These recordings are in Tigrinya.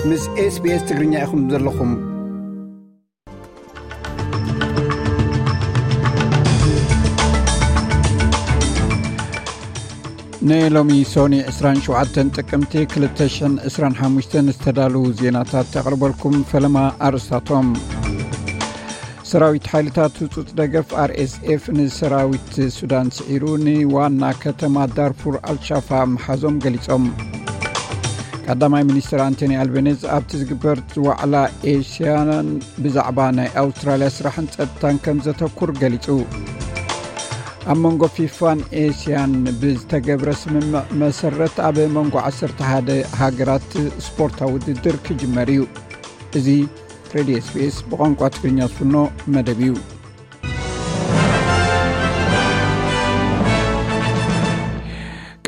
ምስ SBS ትግርኛ ኢኹም ዘለኹም። ንሎሚ ሶኒ ዕስራን ሸውዓተን ጥቅምቲ ክልተ ሽሕን ዕስራን ሓሙሽተን ዝተዳለዉ ዜናታት ተቕርበልኩም። ፈለማ ኣርእስታቶም። ሰራዊት ሓይልታት ህጹጽ ደገፍ ኣር ኤስ ኤፍ ንሰራዊት ሱዳን ስዒሩ ንዋና ከተማ ዳርፉር ኣልሻፋ ምሓዞም ገሊጾም። ቀዳማይ ሚኒስትር ኣንቶኒ ኣልቤኒዝ ኣብቲ ዝግበር ዋዕላ ኤስያን ብዛዕባ ናይ ኣውስትራልያ ስራሕን ጸጥታን ከም ዘተኩር ገሊጹ። ኣብ መንጎ ፊፋን ኤስያን ብዝተገብረ ስምምዕ መሰረት ኣብ መንጎ ዓሰርተ ሓደ ሃገራት ስፖርታዊ ውድድር ክጅመር እዩ። እዚ ሬድዮ ኤስ ቢ ኤስ ብቋንቋ ትግርኛ ዝፍኖ መደብ እዩ።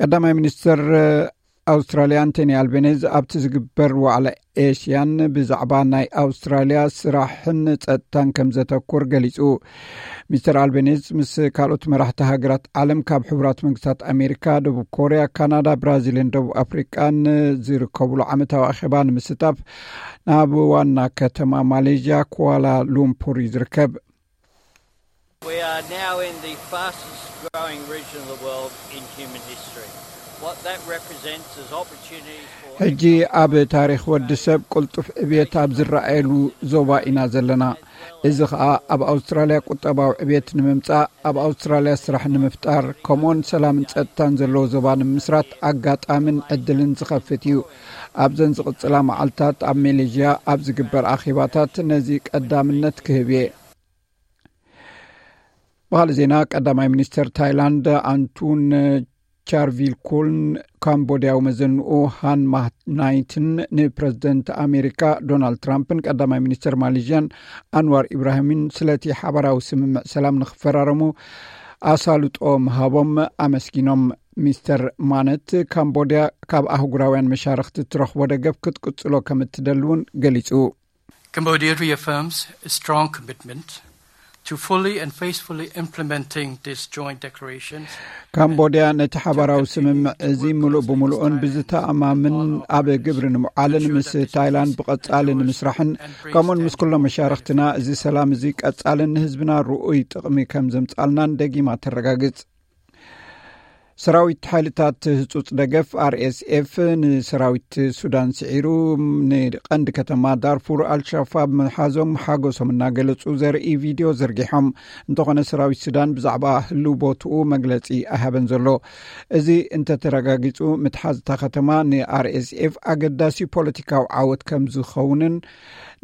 ቀዳማይ ሚኒስትር ኣውስትራልያ ኣንቶኒ ኣልቤኒዝ ኣብቲ ዝግበር ዋዕላ ኤስያን ብዛዕባ ናይ ኣውስትራልያ ስራሕን ጸጥታን ከም ዘተኩር ገሊጹ። ሚስተር ኣልቤኒዝ ምስ ካልኦት መራሕቲ ሃገራት ዓለም ካብ ሕቡራት መንግስታት ኣሜሪካ፣ ደቡብ ኮርያ፣ ካናዳ፣ ብራዚልን ደቡብ ኣፍሪቃን ዝርከብሉ ዓመታዊ ኣኼባ ንምስታፍ ናብ ዋና ከተማ ማሌዥያ ኩዋላ ሉምፑር እዩ ዝርከብ። We are now in the fastest growing region of the world in human history. What that represents is opportunities for ሕጂ ኣብ ታሪኽ ወዲ ሰብ ቅልጡፍ ዕብየት ኣብ ዝረኣየሉ ዞባ ኢና ዘለና። እዚ ኸኣ ኣብ ኣውስትራልያ ቁጠባዊ ዕብየት ንምምጻእ፣ ኣብ ኣውስትራልያ ስራሕ ንምፍጣር፣ ከምኡውን ሰላምን ጸጥታን ዘለዎ ዞባ ንምስራት ኣጋጣምን ዕድልን ዝኸፍት እዩ። ኣብዘን ዝቕጽላ መዓልታት ኣብ መሌዥያ ኣብ ዝግበር ኣኼባታት ነዚ ቀዳምነት ክህብ እየ። ብኻልእ ዜና፣ ቀዳማይ ሚኒስተር ታይላንድ ኣንቱን ቻርቪልኩልን ካምቦድያዊ መዘንኡ ሃን ማት ናይትን ንፕረዚደንት ኣሜሪካ ዶናልድ ትራምፕን ቀዳማይ ሚኒስተር ማሌዥያን ኣንዋር ኢብራሂምን ስለቲ ሓባራዊ ስምምዕ ሰላም ንኽፈራረሙ ኣሳልጦ ምሃቦም ኣመስጊኖም። ሚስተር ማነት፣ ካምቦድያ ካብ ኣህጉራውያን መሻርኽቲ እትረኽቦ ደገፍ ክትቅጽሎ ከም እትደሊ እውን ገሊጹ። Cambodia reaffirms a strong commitment to fully and faithfully implementing this joint declaration. ካምቦድያ ነቲ ሓባራዊ ስምምዕ እዚ ምሉእ ብምሉእን ብዝተኣማምን ኣብ ግብሪ ንምውዓልን ምስ ታይላንድ ብቐጻሊ ንምስራሕን ከምኡን ምስ ኩሎም መሻርኽትና እዚ ሰላም እዚ ቀጻልን ንህዝብና ርኡይ ጥቕሚ ከም ዘምጻልናን ደጊማ ተረጋግጽ። ሰራዊት ሓይልታት ህጹጽ ደገፍ ኣር ኤስ ኤፍ ንሰራዊት ሱዳን ስዒሩ ንቐንዲ ከተማ ዳርፉር ኣልሻፋብ ምሓዞም ሓጎሶም እናገለጹ ዘርኢ ቪድዮ ዘርጊሖም። እንተኾነ ሰራዊት ሱዳን ብዛዕባ ህልው ቦትኡ መግለጺ ኣይሃበን ዘሎ። እዚ እንተተረጋጊጹ ምትሓዝ እታ ከተማ ንኣር ኤስ ኤፍ ኣገዳሲ ፖለቲካዊ ዓወት ከም ዝኸውንን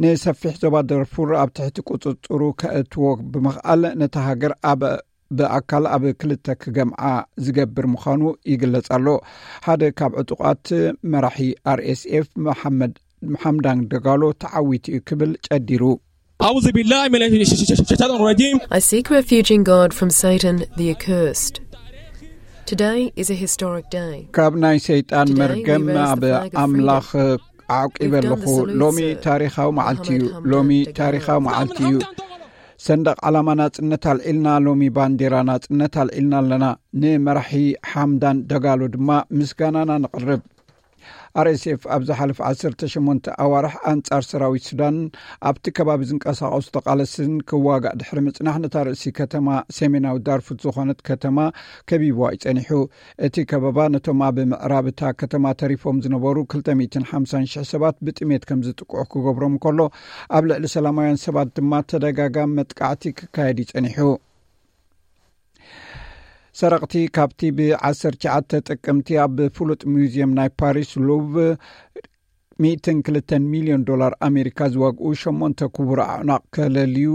ንሰፊሕ ዞባ ዳርፉር ኣብ ትሕቲ ቁጽጽሩ ከእትዎ ብምኽኣል ነታ ሃገር ኣብ ብኣካል ኣብ ክልተ ክገምዓ ዝገብር ምዃኑ ይግለጽ ኣሎ። ሓደ ካብ ዕጡቓት መራሒ ኣር ኤስ ኤፍ መሓመድ ሓምዳን ደጋሎ ተዓዊቱ እዩ ክብል ጨዲሩ። أعوذ بالله من الشيطان الرجيم. I seek refuge in God from Satan the accursed. Today is a historic day. ካብ ናይ ሰይጣን መርገም ኣብ ኣምላኽ ዓቂበ ኣለኹ። ሎሚ ታሪኻዊ መዓልቲ እዩ። ሎሚ ታሪኻዊ መዓልቲ እዩ። ሰንደቕ ዓላማ ናጽነት ኣልዒልና፣ ሎሚ ባንዴራ ናጽነት ኣልዒልና ኣለና። ንመራሒ ሓምዳን ደጋሎ ድማ ምስጋናና ነቕርብ። ኣር ኤስ ኤፍ ኣብ ዝሓለፈ ዓሰርተ ሸሞንተ ኣዋርሕ ኣንጻር ሰራዊት ሱዳን ኣብቲ ከባቢ ዝንቀሳቐሱ ተቓለስትን ክዋጋእ ድሕሪ ምጽናሕ ነታ ርእሲ ከተማ ሰሜናዊ ዳርፉት ዝኾነት ከተማ ከቢብዋ እዩ ጸኒሑ። እቲ ከበባ ነቶም ኣብ ምዕራብ እታ ከተማ ተሪፎም ዝነበሩ ክልተ ሚእትን ሓምሳን ሽሕ ሰባት ብጥሜት ከም ዝጥቅዑ ክገብሮም ከሎ፣ ኣብ ልዕሊ ሰላማውያን ሰባት ድማ ተደጋጋሚ መጥቃዕቲ ክካየድ እዩ ጸኒሑ። ሰረቕቲ ካብቲ ብዓሰርተ ትሽዓተ ጥቅምቲ ኣብ ፍሉጥ ሙዚየም ናይ ፓሪስ ሉቭ ሚእትን ክልተን ሚልዮን ዶላር ኣሜሪካ ዝዋግኡ ሸሞንተ ክቡር ኣዕናቕ ከለልዩ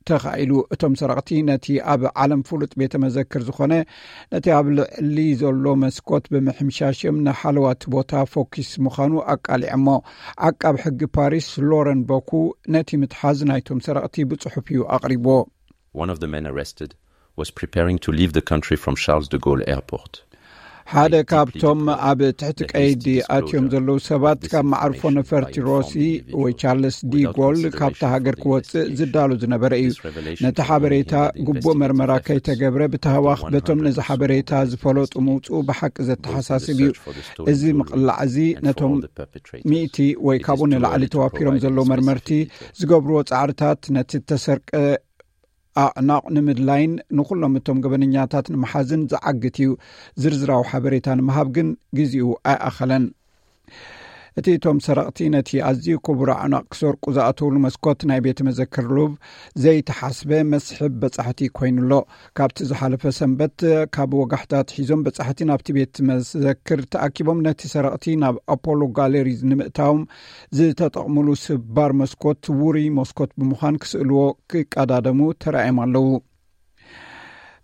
ተኻኢሉ። እቶም ሰረቕቲ ነቲ ኣብ ዓለም ፍሉጥ ቤተ መዘክር ዝኾነ ነቲ ኣብ ልዕሊ ዘሎ መስኮት ብምሕምሻሽም ንሓለዋቲ ቦታ ፎኪስ ምዃኑ ኣቃሊዐሞ። ዓቃብ ሕጊ ፓሪስ ሎረን ቦኩ ነቲ ምትሓዝ ናይቶም ሰረቕቲ ብጽሑፍ እዩ ኣቕሪብዎ። One of the men arrested was preparing to leave the country from Charles de Gaulle Airport. ሓደ ካብቶም ኣብ ትሕቲ ቀይዲ ኣትዮም ዘለዉ ሰባት ካብ መዓርፎ ነፈርቲ ሮሲ ወይ ቻርልስ ዲጎል ካብታ ሃገር ክወፅእ ዝዳሎ ዝነበረ እዩ። ነቲ ሓበሬታ ግቡእ መርመራ ከይተገብረ ብተሃዋኽ በቶም ነዚ ሓበሬታ ዝፈለጡ ምውፅኡ ብሓቂ ዘተሓሳስብ እዩ። እዚ ምቕላዕ እዚ ነቶም ሚእቲ ወይ ካብኡ ንላዕሊ ተዋፊሮም ዘለዉ መርመርቲ ዝገብርዎ ፃዕርታት ነቲ ተሰርቀ ኣዕናቕ ንምድላይን ንኹሎም እቶም ገበነኛታት ንምሓዝን ዝዓግት እዩ። ዝርዝራዊ ሓበሬታ ንምሃብ ግን ግዜኡ ኣይኣኸለን። እቲ እቶም ሰረቕቲ ነቲ ኣዝዩ ክቡር ኣዕናቕ ክሰርቁ ዝኣተውሉ መስኮት ናይ ቤተ መዘክር ሉቭ ዘይተሓስበ መስሕብ በጻሕቲ ኮይኑ ኣሎ። ካብቲ ዝሓለፈ ሰንበት ካብ ወጋሕታ ኣትሒዞም በጻሕቲ ናብቲ ቤት መዘክር ተኣኪቦም ነቲ ሰረቕቲ ናብ ኣፖሎ ጋለሪ ንምእታዎም ዝተጠቕምሉ ስባር መስኮት ውሩይ መስኮት ብምዃን ክስእልዎ ክቀዳደሙ ተራእዮም ኣለዉ።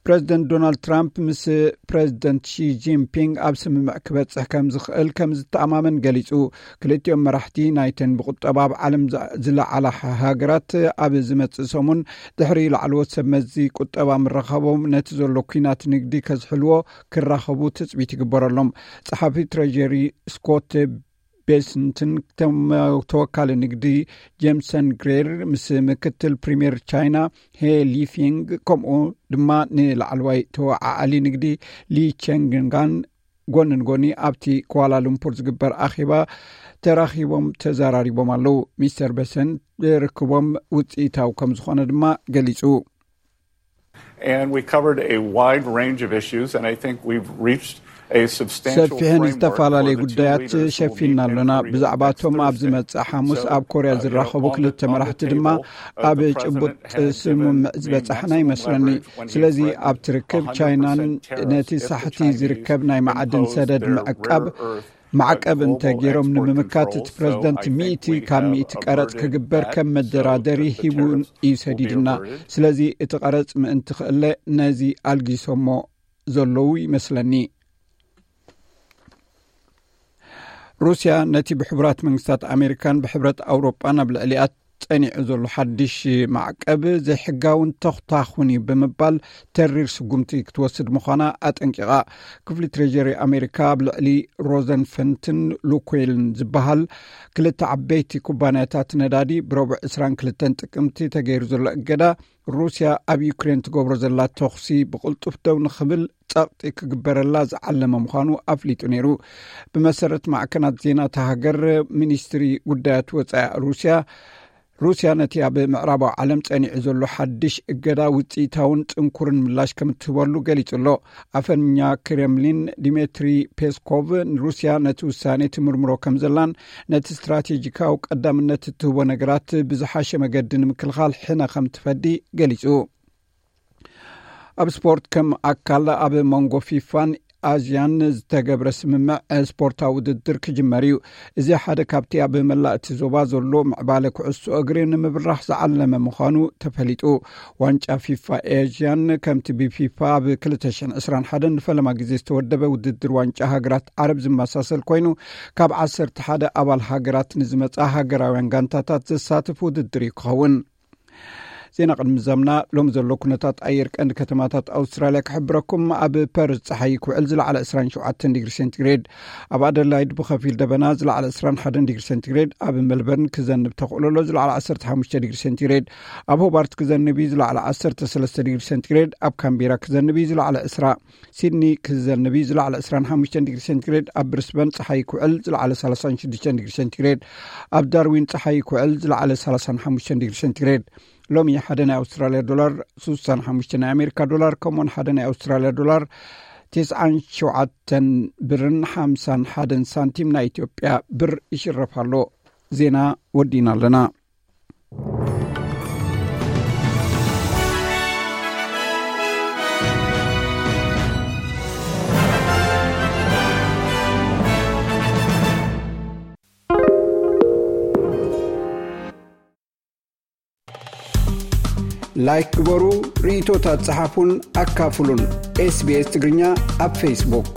ፕረዚደንት ዶናልድ ትራምፕ ምስ ፕረዚደንት ሺ ጂንፒንግ ኣብ ስምምዕ ክበጽሕ ከም ዝኽእል ከም ዝተኣማመን ገሊጹ። ክልቲኦም መራሕቲ ናይተን ብቁጠባ ኣብ ዓለም ዝ- ዝለዓላ ሃ- ሃገራት ኣብ ዝመጽእ ሰሙን ድሕሪ ላዕለዎት ሰብ መዚ ቁጠባ ምራኸቦም ነቲ ዘሎ ኲናት ንግዲ ከዝሕልዎ ክራኸቡ ትጽቢት ይግበረሎም። ጸሓፊ ትሬጀሪ ስኮት ቤስንትን ተወካሊ ንግዲ ጄምሰን ግሬር ምስ ምክትል ፕሪምየር ቻይና ሄ ሊፊንግ ከምኡ ድማ ንላዕለዋይ ተወዓዓሊ ንግዲ ሊ ቸንግንጋን ጎኒ ንጎኒ ኣብቲ ኳላሉምፑር ዝግበር ኣኼባ ተራኺቦም ተዘራሪቦም ኣለዉ። ሚስተር ቤሰን ርክቦም ውፅኢታዊ ከም ዝኾነ ድማ ገሊፁ። And we covered a wide range of issues, and I think we've reached a substantial ሰፊሕን ዝተፈላለዩ ጉዳያት ሸፊና ኣሎና። ብዛዕባቶም ኣብ ዝመጽእ ሓሙስ ኣብ ኮርያ ዝራኸቡ ክልተ መራሕቲ ድማ ኣብ ጭቡጥ ስምምዕ ዝበጻሕና ይመስለኒ። ስለዚ ኣብቲ ርክብ ቻይናን ነቲ ሳሕቲ ዝርከብ ናይ ማዕድን ሰደድ ምዕቃብ ማዕቀብ እንተ ገይሮም ንምምካት እቲ ፕረዚደንት ሚእቲ ካብ ሚእቲ ቀረጽ ክግበር ከም መደራደሪ ሂቡ እዩ ሰዲድና። ስለዚ እቲ ቀረጽ ምእንቲ ክእለ ነዚ ኣልጊሶሞ ዘለዉ ይመስለኒ። ሩስያ ነቲ ብሕቡራት መንግስታት ኣሜሪካን ብሕብረት ኣውሮጳን ኣብ ልዕሊኣ ጸኒዑ ዘሎ ሓድሽ ማዕቀብ ዘይሕጋውን ተኽታኹን እዩ ብምባል ተሪር ስጉምቲ ክትወስድ ምዃና ኣጠንቂቓ። ክፍሊ ትሬጀሪ ኣሜሪካ ኣብ ልዕሊ ሮዘንፈንትን ሉኮይልን ዝበሃል ክልተ ዓበይቲ ኩባንያታት ነዳዲ ብረቡዕ ዕስራን ክልተን ጥቅምቲ ተገይሩ ዘሎ እገዳ ሩስያ ኣብ ዩክሬን ትገብሮ ዘላ ተኹሲ ብቕልጡፍ ደው ንኽብል ጸቕጢ ክግበረላ ዝዓለመ ምዃኑ ኣፍሊጡ ነይሩ። ብመሰረት ማዕከናት ዜና እታ ሃገር ሚኒስትሪ ጉዳያት ወጻኢ ሩስያ ሩስያ ነቲ ኣብ ምዕራባዊ ዓለም ጸኒዑ ዘሎ ሓድሽ እገዳ ውጽኢታውን ጽንኩርን ምላሽ ከም እትህበሉ ገሊጹ ኣሎ። ኣፈኛ ክሬምሊን ዲሜትሪ ፔስኮቭ ንሩስያ ነቲ ውሳኔ ትምርምሮ ከም ዘላን ነቲ ስትራቴጂካዊ ቀዳምነት እትህቦ ነገራት ብዝሓሸ መገዲ ንምክልኻል ሕነ ከም ትፈዲ ገሊጹ። ኣብ ስፖርት ከም ኣካል ኣብ መንጎ ፊፋን ኣዝያን ዝተገብረ ስምምዕ ስፖርታዊ ውድድር ክጅመር እዩ። እዚ ሓደ ካብቲ ኣብ መላእ እቲ ዞባ ዘሎ ምዕባለ ኩዕሶ እግሪ ንምብራኽ ዝዓለመ ምዃኑ ተፈሊጡ። ዋንጫ ፊፋ ኤዥያን ከምቲ ብፊፋ ኣብ ክልተ ሽሕን ዕስራን ሓደን ንፈለማ ግዜ ዝተወደበ ውድድር ዋንጫ ሃገራት ዓረብ ዝመሳሰል ኮይኑ ካብ ዓሰርተ ሓደ ኣባል ሃገራት ንዝመጻ ሃገራውያን ጋንታታት ዘሳትፍ ውድድር እዩ ክኸውን። ዜና ቅድሚ ዘምና ሎም ዘሎ ኩነታት ኣየር ቀንዲ ከተማታት ኣውስትራልያ ክሕብረኩም። ኣብ ፐርዝ ጸሓይ ክውዕል ዝለዓለ ዕስራን ሸውዓተን ዲግሪ ሴንቲግሬድ፣ ኣብ ኣደላይድ ብኸፊል ደበና ዝለዓለ ዕስራን ሓደን ዲግሪ ሴንቲግሬድ፣ ኣብ ሜልበርን ክዘንብ ተኽእሎ ኣሎ ዝለዓለ ዓሰርተ ሓሙሽተ ዲግሪ ሴንቲግሬድ፣ ኣብ ሆባርት ክዘንብ እዩ ዝለዓለ ዓሰርተ ሰለስተ ዲግሪ ሴንቲግሬድ፣ ኣብ ካምቤራ ክዘንብ እዩ ዝለዓለ ዕስራ፣ ሲድኒ ክዘንብ እዩ ዝለዓለ ዕስራን ሓሙሽተን ዲግሪ ሴንቲግሬድ፣ ኣብ ብሪስበን ጸሓይ ክውዕል ዝለዓለ ሰላሳን ሽዱሽተን ዲግሪ ሴንቲግሬድ፣ ኣብ ዳርዊን ጸሓይ ክውዕል ዝለዓለ ሰላሳን ሓሙሽተን ዲግሪ ሴንቲግሬድ። ሎሚ ሓደ ናይ ኣውስትራልያ ዶላር ስሳን ሓሙሽተ ናይ ኣሜሪካ ዶላር ከምኡውን ሓደ ናይ ኣውስትራልያ ዶላር ተስዓን ሸውዓተን ብርን ሓምሳን ሓደን ሳንቲም ናይ ኢትዮጵያ ብር ይሽረፍ ኣሎ። ዜና ወዲና ኣለና። ላይክ ግበሩ፣ ርእይቶታት ጸሓፉን ኣካፍሉን። ኤስቢኤስ ትግርኛ ኣብ ፌስቡክ።